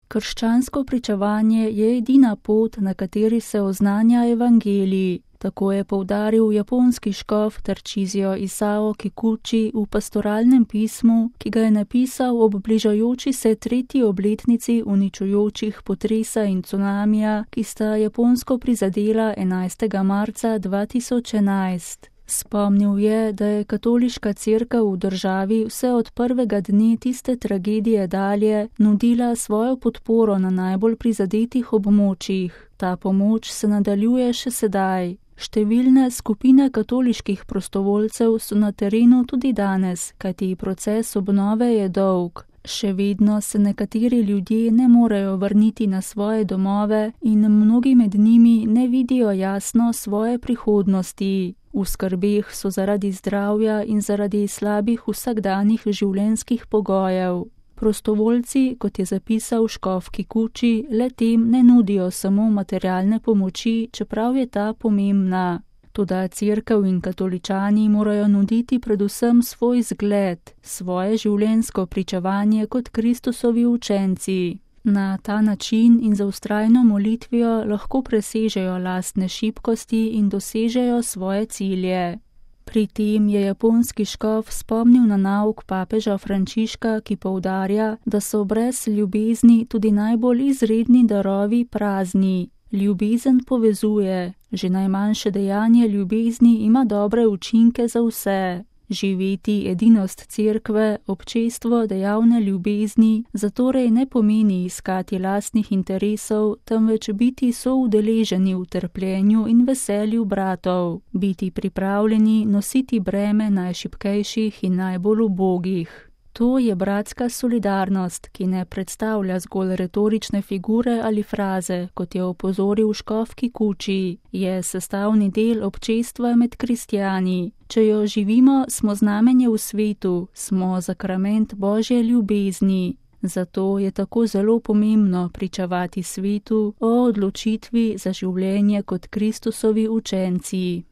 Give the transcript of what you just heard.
Krščansko pričevanje je edina pot, na kateri se oznanja evangelij. Tako je poudaril japonski škof Tarcísio Isao Kikuchi v pastoralnem pismu, ki ga je napisal ob bližajoči se 3. obletnici uničujočih potresa in cunamija, ki sta Japonsko prizadela 11. marca 2011. Spomnil je, da je katoliška cerkev v državi vse od prvega dne tiste tragedije dalje nudila svojo podporo na najbolj prizadetih območjih. Ta pomoč se nadaljuje še sedaj. Številne skupine katoliških prostovoljcev so na terenu tudi danes, kajti proces obnove je dolg. Še vedno se nekateri ljudje ne morejo vrniti na svoje domove in mnogi med njimi ne vidijo jasno svoje prihodnosti. V skrbeh so zaradi zdravja in zaradi slabih vsakdanjih življenjskih pogojev. Prostovoljci, kot je zapisal škof Kikuchi, le-tem ne nudijo samo materialne pomoči, čeprav je ta pomembna. Toda cerkev in katoličani morajo nuditi predvsem svoj zgled, svoje življenjsko pričevanje kot Kristusovi učenci. Na ta način in za vztrajno molitvijo lahko presežejo lastne šibkosti in dosežejo svoje cilje. Pri tem je japonski škof spomnil na nauk papeža Frančiška, ki poudarja, da so brez ljubezni tudi najbolj izredni darovi prazni. Ljubezen povezuje, že najmanjše dejanje ljubezni ima dobre učinke za vse. Živeti edinost cerkve, občestvo dejavne ljubezni, zatorej ne pomeni iskati lastnih interesov, temveč biti soudeleženi v trpljenju in veselju bratov, biti pripravljeni nositi breme najšibkejših in najbolj ubogih. To je bratska solidarnost, ki ne predstavlja zgolj retorične figure ali fraze, kot je opozoril škof Kikuchi, je sestavni del občestva med kristjani. Če jo živimo, smo znamenje v svetu, smo sakrament Božje ljubezni. Zato je tako zelo pomembno pričevati svetu o odločitvi za življenje kot Kristusovi učenci.